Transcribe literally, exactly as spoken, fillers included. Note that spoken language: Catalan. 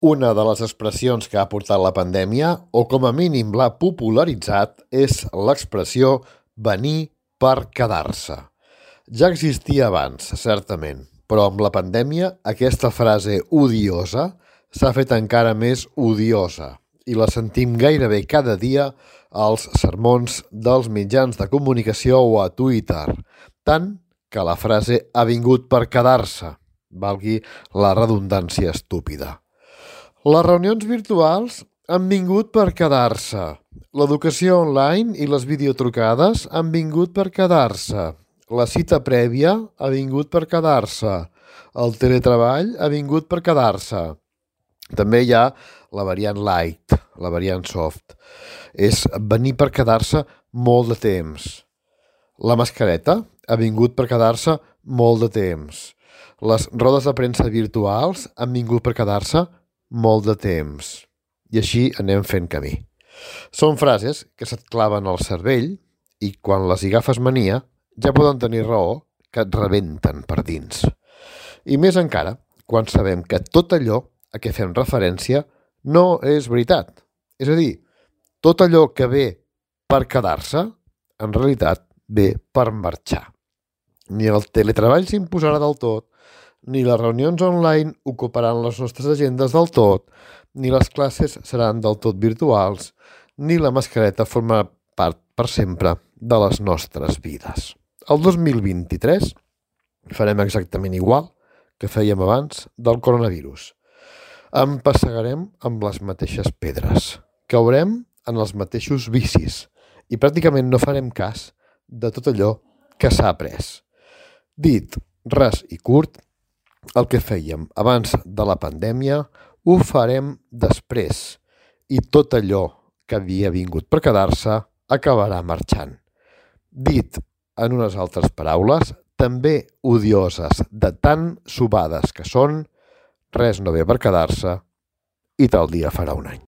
Una de les expressions que ha portat la pandèmia, o com a mínim l'ha popularitzat, és l'expressió venir per quedar-se. Ja existia abans, certament, però amb la pandèmia aquesta frase odiosa s'ha fet encara més odiosa i la sentim gairebé cada dia als sermons dels mitjans de comunicació o a Twitter, tant que la frase ha vingut per quedar-se, valgui la redundància estúpida. Les reunions virtuals han vingut per quedar-se. L'educació online i les videotrucades han vingut per quedar-se. La cita prèvia ha vingut per quedar-se. El teletreball ha vingut per quedar-se. També hi ha la variant light, la variant soft. És venir per quedar-se molt de temps. La mascareta ha vingut per quedar-se molt de temps. Les rodes de premsa virtuals han vingut per quedar-se molt de temps. I així anem fent camí. Són frases que se't claven al cervell i quan les hi agafes mania ja poden tenir raó que et rebenten per dins. I més encara quan sabem que tot allò a què fem referència no és veritat. És a dir, tot allò que ve per quedar-se, en realitat ve per marxar. Ni el teletreball s'imposarà del tot, ni les reunions online ocuparan les nostres agendes del tot, ni les classes seran del tot virtuals, ni la mascareta forma part per sempre de les nostres vides. El dos mil vint-i-tres farem exactament igual que fèiem abans del coronavirus. Empassegarem amb les mateixes pedres, caurem en els mateixos vicis i pràcticament no farem cas de tot allò que s'ha après. Dit ras i curt, el que fèiem abans de la pandèmia ho farem després i tot allò que havia vingut per quedar-se acabarà marxant. Dit en unes altres paraules, també odioses de tan sobades que són, res no ve per quedar-se i tal dia farà un any.